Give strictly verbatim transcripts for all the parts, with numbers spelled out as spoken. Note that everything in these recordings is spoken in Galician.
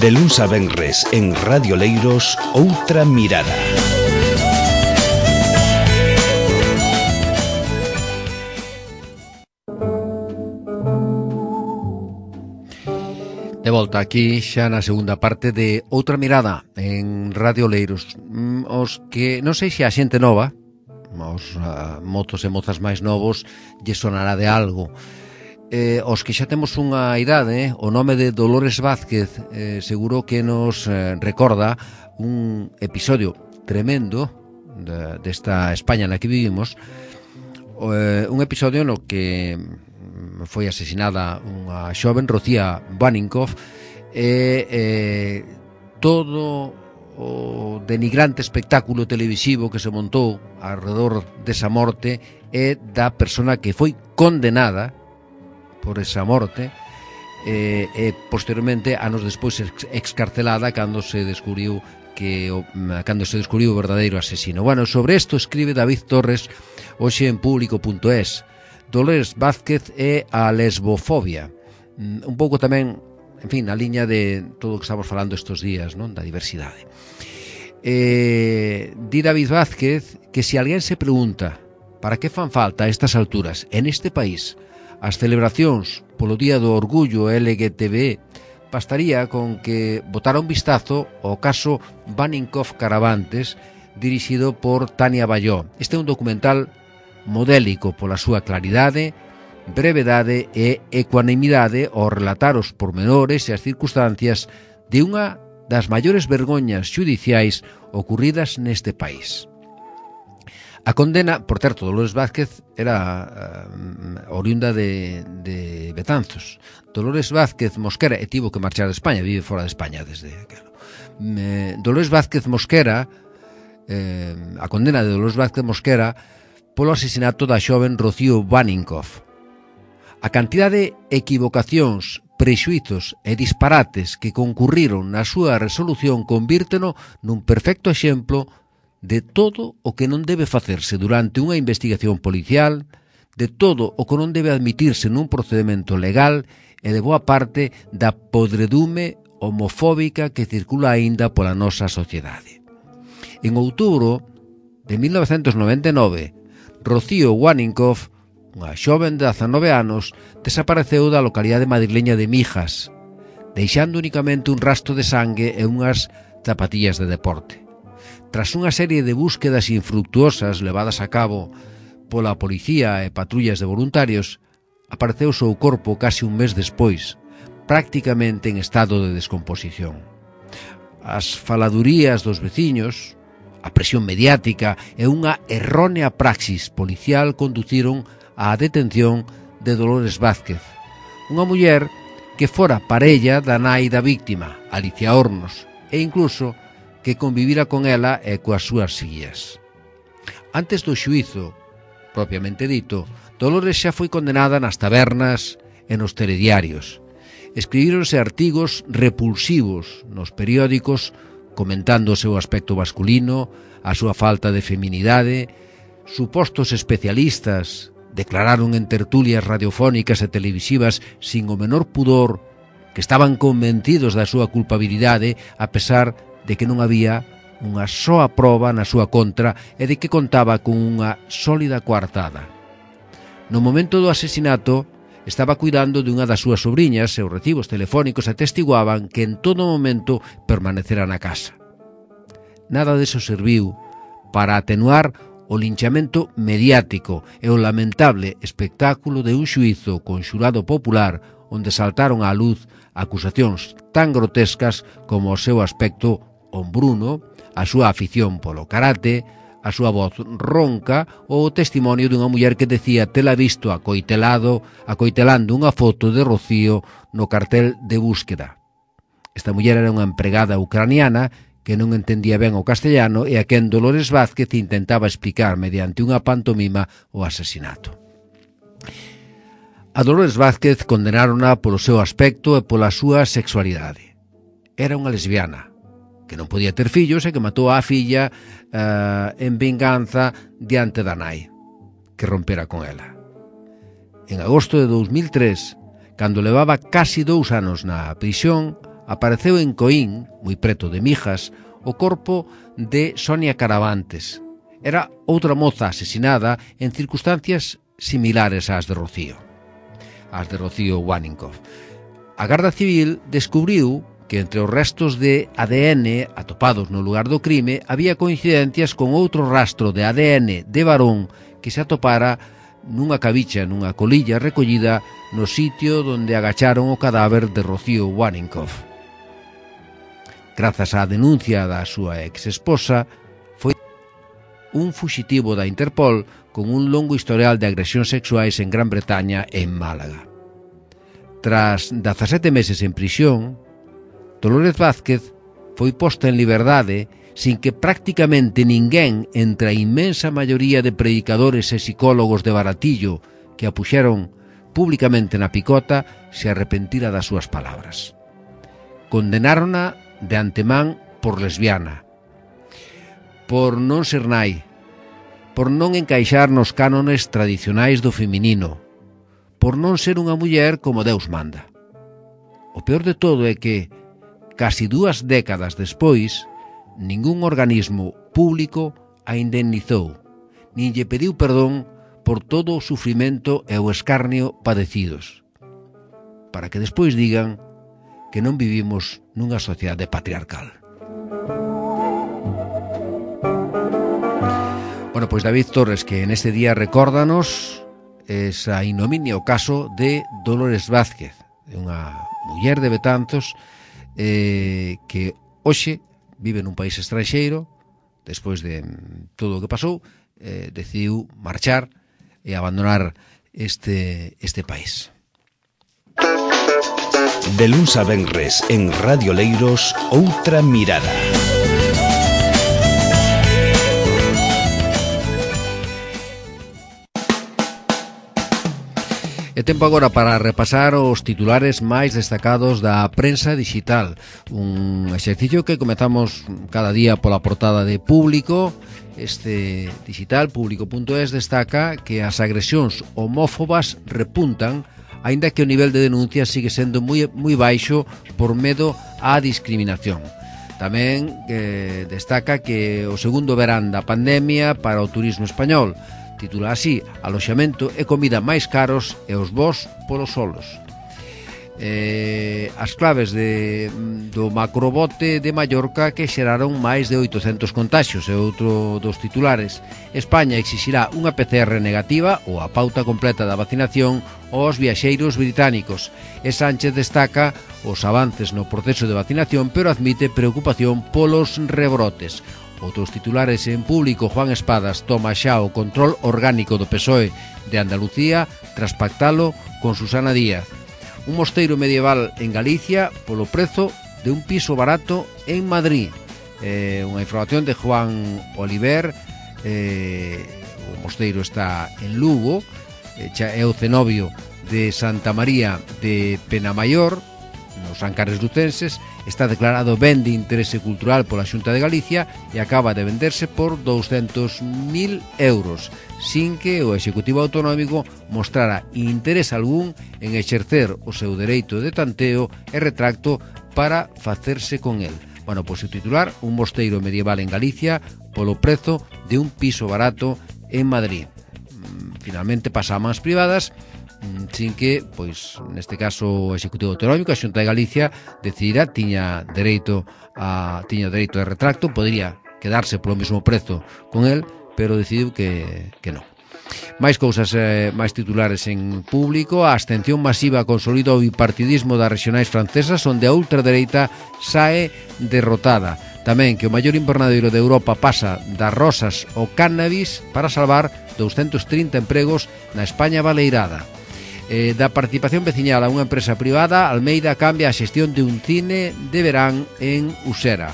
De luns a venres en Radio Leiros, Outra Mirada. De volta aquí xa na segunda parte de Outra Mirada en Radio Leiros. Os que non sei se a xente nova, os uh, mozos e mozas máis novos, lle sonará de algo. Eh, os que xa temos unha idade, o nome de Dolores Vázquez eh, seguro que nos eh, recorda un episodio tremendo de, desta España na que vivimos, eh, un episodio no que foi asesinada unha xoven, Rocía Baninkoff, e eh, todo o denigrante espectáculo televisivo que se montou alrededor desa morte e da persona que foi condenada por esa morte e, e posteriormente, anos despois, excarcelada cando se descubriu que o, cando se descubriu o verdadeiro asesino. Bueno, sobre isto escribe David Torres hoxe en público punto es. Dolores Vázquez e a lesbofobia. Un pouco tamén, en fin, na liña de todo o que estamos falando estes días, non? Da diversidade. Eh, di David Vázquez que se alguén se pregunta para que fan falta a estas alturas en este país as celebracións polo Día do Orgullo L G T B, bastaría con que botara un vistazo ao caso Baninkoff Caravantes, dirixido por Tania Balló. Este é un documental modélico pola súa claridade, brevedade e ecuanimidade ao relatar os pormenores e as circunstancias de unha das maiores vergoñas xudiciais ocurridas neste país. A condena, por certo, Dolores Vázquez era uh, oriunda de, de Betanzos. Dolores Vázquez Mosquera, e tivo que marchar de España, vive fora de España desde aquelo. Eh, Dolores Vázquez Mosquera, eh, a condena de Dolores Vázquez Mosquera polo asesinato da xoven Rocío Baninkoff. A cantidad de equivocacións, prexuizos e disparates que concurriron na súa resolución convírteno nun perfecto exemplo de todo o que non debe facerse durante unha investigación policial, de todo o que non debe admitirse nun procedimento legal e de boa parte da podredume homofóbica que circula aínda pola nosa sociedade. En outubro de mil novecentos noventa e nove, Rocío Baninkoff, unha xoven de dezanove anos, desapareceu da localidade madrileña de Mijas, deixando únicamente un rastro de sangue e unhas zapatillas de deporte. Tras unha serie de búsquedas infructuosas levadas a cabo pola policía e patrullas de voluntarios, apareceu o seu corpo case un mes despois, prácticamente en estado de descomposición. As faladurías dos veciños, a presión mediática e unha errónea praxis policial conduciron á detención de Dolores Vázquez, unha muller que fora parella da nai da víctima, Alicia Hornos, e incluso que convivira con ela e coas súas fillas. Antes do xuízo, propiamente dito, Dolores xa foi condenada nas tabernas e nos telediarios. Escribíronse artigos repulsivos nos periódicos comentando o seu aspecto masculino, a súa falta de feminidade. Supostos especialistas declararon en tertulias radiofónicas e televisivas sin o menor pudor que estaban convencidos da súa culpabilidade a pesar de que non había unha soa proba na súa contra e de que contaba con unha sólida coartada. No momento do asesinato, estaba cuidando dunha das súas sobriñas e os recibos telefónicos atestiguaban que en todo momento permanecera na casa. Nada deso serviu para atenuar o linchamento mediático e o lamentable espectáculo de un xuízo con xurado popular onde saltaron á luz acusacións tan grotescas como o seu aspecto hombruno, a súa afición polo karate, a súa voz ronca ou o testimonio dunha muller que decía tela visto acoitelado, acoitelando unha foto de Rocío no cartel de búsqueda. Esta muller era unha empregada ucraniana que non entendía ben o castellano e a quen Dolores Vázquez intentaba explicar mediante unha pantomima o asesinato. A Dolores Vázquez condenárona polo seu aspecto e pola súa sexualidade. Era unha lesbiana que non podía ter fillos e que matou á filla uh, en vinganza diante da nai, que rompera con ela. En agosto de dous mil tres, cando levaba casi dous anos na prisión, apareceu en Coín, moi preto de Mijas, o corpo de Sonia Caravantes. Era outra moza asesinada en circunstancias similares ás de Rocío, ás de Rocío Waninkoff. A Garda Civil descubriu que entre os restos de A D N atopados no lugar do crime había coincidencias con outro rastro de A D N de varón que se atopara nunha cabicha, nunha colilla recollida no sitio onde agacharon o cadáver de Rocío Waninkoff. Grazas á denuncia da súa ex-esposa, foi un fuxitivo da Interpol con un longo historial de agresións sexuais en Gran Bretaña e en Málaga. Tras dezasete meses en prisión, Dolores Vázquez foi posta en liberdade sin que prácticamente ninguén entre a inmensa maioría de predicadores e psicólogos de Baratillo que a puxeron públicamente na picota se arrepentira das súas palabras. Condenárona de antemán por lesbiana, por non ser nai, por non encaixar nos cánones tradicionais do feminino, por non ser unha muller como Deus manda. O peor de todo é que casi dúas décadas despois, ningún organismo público a indemnizou, nin lle pediu perdón por todo o sufrimento e o escarnio padecidos, para que despois digan que non vivimos nunha sociedade patriarcal. Bueno, pois David Torres, que en este día recórdanos esa ignominia, o caso de Dolores Vázquez, unha muller de Betanzos, Eh, que hoxe vive nun país estranxeiro, despois de todo o que pasou, eh, decidiu marchar e abandonar este, este país. De luns a venres en Radio Leiros, Outra Mirada. É tempo agora para repasar os titulares máis destacados da prensa digital. Un exercicio que comezamos cada día pola portada de Público. Este digital, público punto es, destaca que as agresións homófobas repuntan, aínda que o nivel de denuncia sigue sendo moi, moi baixo por medo á discriminación. Tamén eh, destaca que o segundo verán da pandemia para o turismo español. Titula así: aloxamento e comida máis caros e os voos polos solos. Eh, as claves de, do macrobote de Mallorca que xeraron máis de oitocentos contaxios é outro dos titulares. España exixirá unha P C R negativa ou a pauta completa da vacinación aos viaxeiros británicos. E Sánchez destaca os avances no proceso de vacinación, pero admite preocupación polos rebrotes. Outros titulares en Público: Juan Espadas toma xa o control orgánico do P S O E de Andalucía tras pactalo con Susana Díaz. Un mosteiro medieval en Galicia polo prezo de un piso barato en Madrid. Eh, unha información de Juan Oliver. Eh, o mosteiro está en Lugo, eh, é o cenobio de Santa María de Penamayor, nos Ancares lucenses. Está declarado ben de interese cultural pola Xunta de Galicia e acaba de venderse por douscentos mil euros, sin que o Executivo Autonómico mostrara interés algún en exercer o seu dereito de tanteo e retracto para facerse con el. Bueno, pois o titular: un mosteiro medieval en Galicia polo prezo de un piso barato en Madrid. Finalmente pasa a mans privadas, sin que, pois, neste caso o Executivo Autonómico, a Xunta de Galicia, decidira, tiña dereito a tiña dereito de retracto, podería quedarse polo mesmo prezo con el, pero decidiu que, que non. Máis cousas, eh, máis titulares en Público. A abstención masiva consolida o bipartidismo das regionais francesas, onde a ultradereita sae derrotada. Tamén que o maior invernadeiro de Europa pasa das rosas ao cannabis para salvar doscientos trinta empregos na España baleirada. Eh, da participación veciñal a unha empresa privada, Almeida cambia a xestión de un cine de verán en Usera.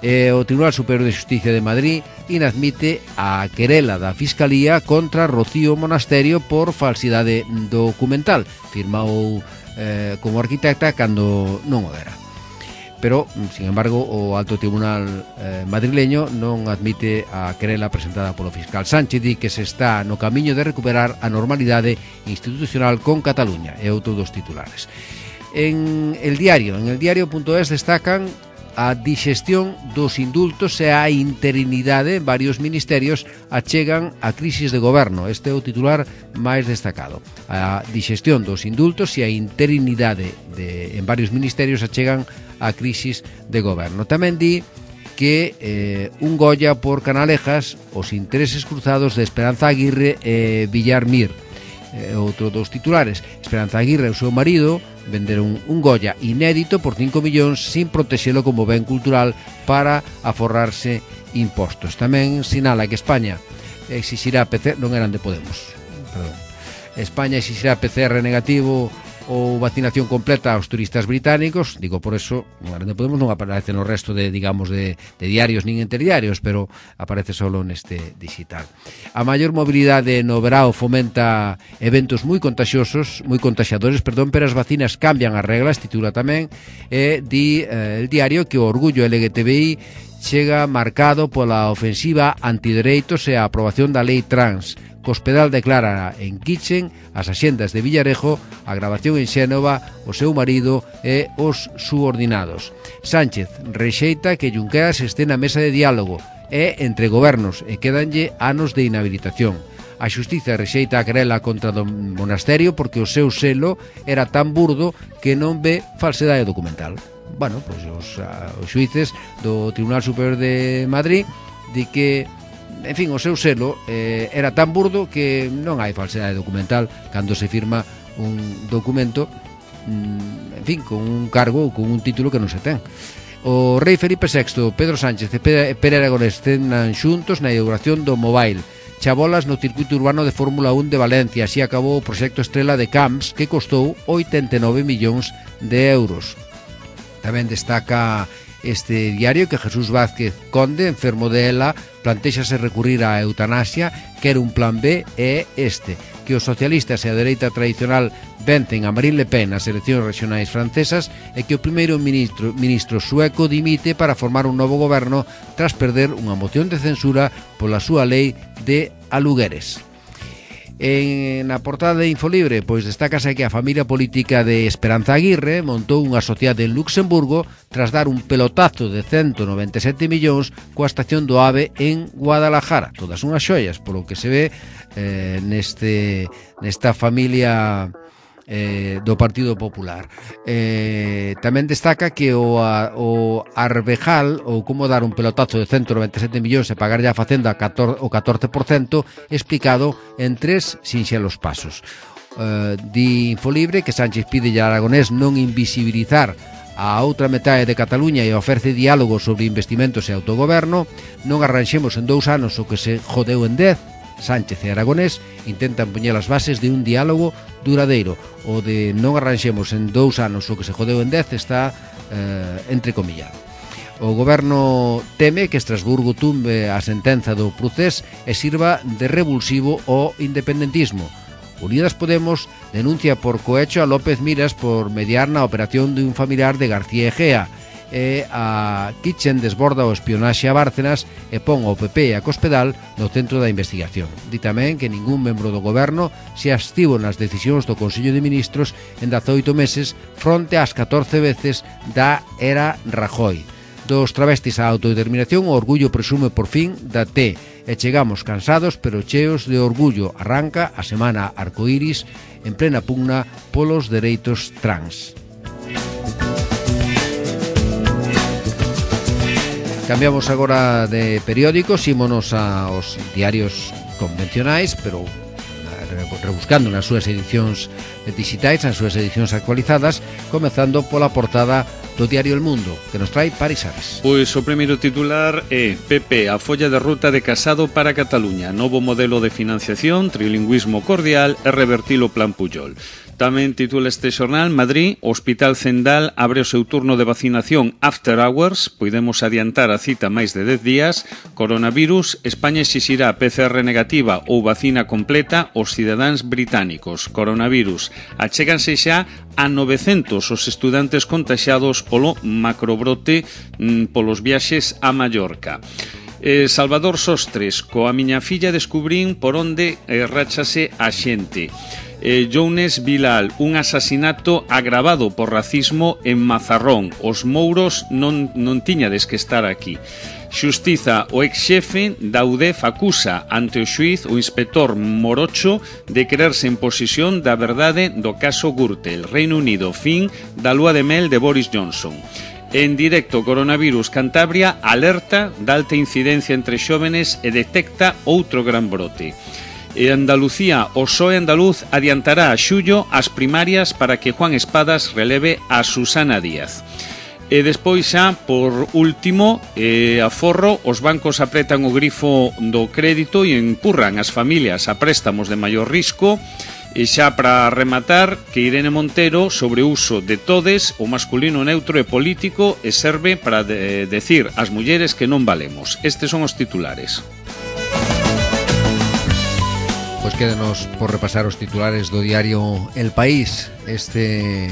Eh, o Tribunal Superior de Xusticia de Madrid inadmite a querela da Fiscalía contra Rocío Monasterio por falsidade documental. Firmou eh, como arquitecta cando non o era. Pero, sin embargo, o Alto Tribunal eh, madrileño non admite a querela presentada polo fiscal Sánchez, di que se está no camiño de recuperar a normalidade institucional con Cataluña. É outro dos titulares. En el diario, en el diario.es destacan a dixestión dos indultos e a interinidade en varios ministerios achegan a crisis de goberno. Este é o titular máis destacado. A dixestión dos indultos e a interinidade de, en varios ministerios achegan a crisis de goberno. Tamén di que eh, un Goya por Canalejas, os intereses cruzados de Esperanza Aguirre e Villar Mir. Eh, outro dos titulares, Esperanza Aguirre e o seu marido venderon un Goya inédito por cinco millóns sin protexelo como ben cultural para aforrarse impostos. Tamén sinala que España exixirá P C R, non eran de Podemos, perdón. España exixirá P C R negativo ou vacinación completa aos turistas británicos. Digo, por eso, non eran de Podemos, non aparece no resto de, digamos, de, de diarios nin interdiarios, pero aparece solo neste digital. A maior mobilidade no verao fomenta eventos moi contaxiosos, moi contaxiadores, perdón, pero as vacinas cambian as reglas, titula tamén, e di eh, el diario que o orgullo L G T B I chega marcado pola ofensiva antidereitos e a aprobación da lei trans. Cospedal declara en Kitchen as axendas de Villarejo, a grabación en Xénova, o seu marido e os subordinados. Sánchez rexeita que Junqueras este na mesa de diálogo e entre gobernos e quedanlle anos de inhabilitación. A xustiza rexeita a querela contra do monasterio porque o seu selo era tan burdo que non ve falsedade documental. Bueno, pois os, os xuíces do Tribunal Superior de Madrid di que, en fin, o seu selo eh, era tan burdo que non hai falsedade documental cando se firma un documento, mm, en fin, con un cargo ou con un título que non se ten. O rei Felipe sexto, Pedro Sánchez e Pere Aragonés cenan xuntos na inauguración do Mobile. Chabolas no circuito urbano de Fórmula un de Valencia. Así acabou o proxecto estrela de Camps, que costou oitenta e nove millóns de euros. Tamén destaca este diario que Jesús Vázquez Conde, enfermo de ELA, plantéxase recurrir á eutanasia, quer un plan B e este, que os socialistas e a dereita tradicional vencen a Marine Le Pen nas eleccións regionais francesas e que o primeiro ministro, ministro sueco dimite para formar un novo goberno tras perder unha moción de censura pola súa lei de alugueres. En na portada de Infolibre, pois destácase que a familia política de Esperanza Aguirre montou unha sociedade en Luxemburgo tras dar un pelotazo de ciento noventa e sete millóns coa estación do AVE en Guadalajara. Todas unhas xoias, polo que se ve eh, neste nesta familia eh, do Partido Popular. Eh, tamén destaca que o, a, o Arbejal, ou como dar un pelotazo de ciento noventa e sete millóns e pagarlle a Facenda o catorce por cento, explicado en tres sinxelos pasos. Eh, di Infolibre que Sánchez pide a Aragonés non invisibilizar a outra metade de Cataluña e ofrece diálogo sobre investimentos e autogoberno. Non arranxemos en dous anos o que se jodeu en dez. Sánchez e Aragonés intentan poñer as bases de un diálogo duradeiro. O de non arranxemos en dous anos o que se jodeu en dez está eh, entrecomillado. O goberno teme que Estrasburgo tumbe a sentenza do Procés e sirva de revulsivo ao independentismo. Unidas Podemos denuncia por cohecho a López Miras por mediar na operación de un familiar de García Egea. E a Kitchen desborda o espionaxe a Bárcenas e pon o P P e a Cospedal no centro da investigación. Di tamén que ningún membro do goberno se abstivo nas decisións do Consello de Ministros en dezaoito meses fronte ás catorce veces da era Rajoy. Dos travestis á autodeterminación, o orgullo presume por fin da T e chegamos cansados pero cheos de orgullo. Arranca a semana arcoíris en plena pugna polos dereitos trans. Cambiamos agora de periódicos, ímonos aos diarios convencionais, pero rebuscando nas súas edicións digitais, nas súas edicións actualizadas, comezando pola portada do diario El Mundo, que nos trae Paris Ares. Pois o primeiro titular é P P, a folla de ruta de Casado para Cataluña, novo modelo de financiación, trilingüismo cordial e revertir o plan Pujol. Tamén titula este xornal, Madrid, Hospital Zendal abre o seu turno de vacinación after hours, podemos adiantar a cita máis de dez días. Coronavirus, España exixirá P C R negativa ou vacina completa aos cidadáns británicos. Coronavirus, achéganse xa a novecentos os estudantes contaxiados polo macrobrote mm, polos viaxes a Mallorca. Eh, Salvador Sostres, coa miña filla descubrín por onde eh, rachase a xente. Eh, Jounes Bilal, un asasinato agravado por racismo en Mazarrón. Os mouros non, non tiñades que estar aquí. Xustiza, o ex-xefe da U D F acusa ante o xuíz o inspector Morocho de quererse en posesión da verdade do caso Gürtel. Reino Unido, fin da lúa de mel de Boris Johnson. En directo, coronavirus, Cantabria alerta da alta incidencia entre xóvenes e detecta outro gran brote. E Andalucía, o P S O E andaluz adiantará a xullo as primarias para que Juan Espadas releve a Susana Díaz. E despois xa, por último, eh, aforro, os bancos apretan o grifo do crédito e empurran as familias a préstamos de maior risco. E xa para rematar, que Irene Montero sobre o uso de todes, o masculino neutro e político, e serve para de decir ás mulleres que non valemos. Estes son os titulares. Pois quédenos por repasar os titulares do diario El País. Este...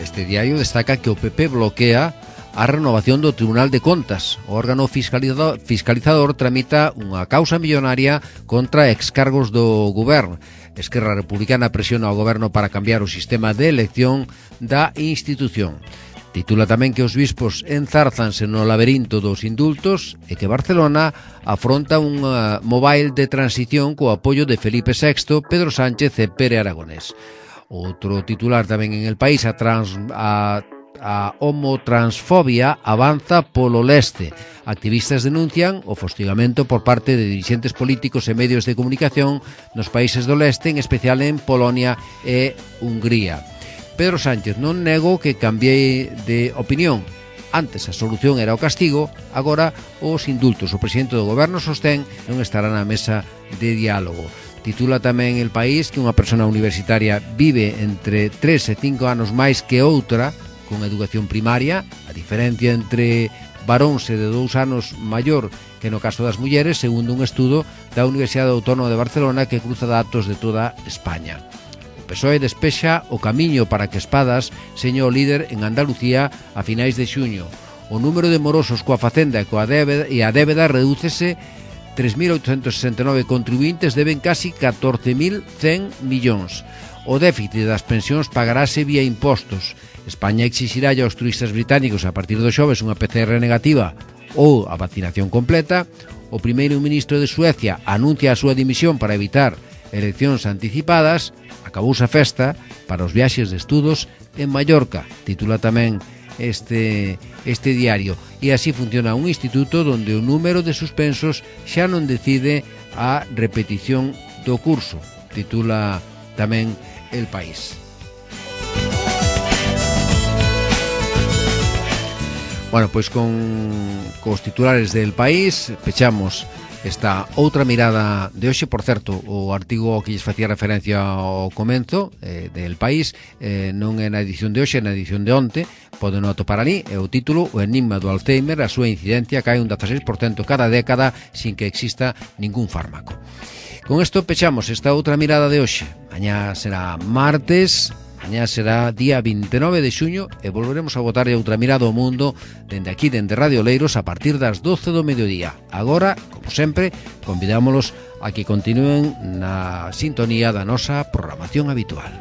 Este diario destaca que o P P bloquea a renovación do Tribunal de Contas. O órgano fiscalizador, fiscalizador tramita unha causa millonaria contra excargos do goberno. Esquerra Republicana presiona ao goberno para cambiar o sistema de elección da institución. Titula tamén que os bispos enzárzanse no laberinto dos indultos e que Barcelona afronta un mobile de transición co apoio de Felipe sexto, Pedro Sánchez e Pere Aragonés. Outro titular tamén en El País, a, trans, a, a homotransfobia avanza polo leste. Activistas denuncian o fostigamento por parte de dirixentes políticos e medios de comunicación nos países do leste, en especial en Polonia e Hungría. Pedro Sánchez non negou que cambiei de opinión. Antes a solución era o castigo, agora os indultos. O presidente do goberno sostén non estará na mesa de diálogo. Titula tamén El País que unha persona universitaria vive entre tres e cinco anos máis que outra con educación primaria. A diferencia entre varóns e de dous anos maior que no caso das mulleres, segundo un estudo da Universidade Autónoma de Barcelona que cruza datos de toda España. O P S O E despexa o camiño para que Espadas seña o líder en Andalucía a finais de xuño. O número de morosos coa facenda e coa débeda, e a débeda redúcese. tres mil oitocentos sesenta e nove contribuintes deben casi catorce mil cen millóns. O déficit das pensións pagarase vía impostos. España exixirá aos turistas británicos a partir do xoves unha P C R negativa ou a vacinación completa. O primeiro ministro de Suecia anuncia a súa dimisión para evitar eleccións anticipadas. Acabouse a festa para os viaxes de estudos en Mallorca. Titula tamén este, este diario. E así funciona un instituto donde o número de suspensos xa non decide a repetición do curso. Titula tamén El País. Bueno, pois con cos titulares del País pechamos esta outra mirada de hoxe. Por certo, o artigo que lles facía referencia ao comenzo eh, del País eh, non é na edición de hoxe, é na edición de onte. Poden atopar ali, é o título: O enigma do Alzheimer, a súa incidencia cae un dezaseis por cento cada década sin que exista ningún fármaco. Con isto pechamos esta outra mirada de hoxe. Mañá será martes, mañá será día vinte e nove de xuño e volveremos a botar outra mirada ao mundo dende aquí, dende Radio Oleiros, a partir das doce do mediodía. Agora, como sempre, convidámolos a que continúen na sintonía da nosa programación habitual.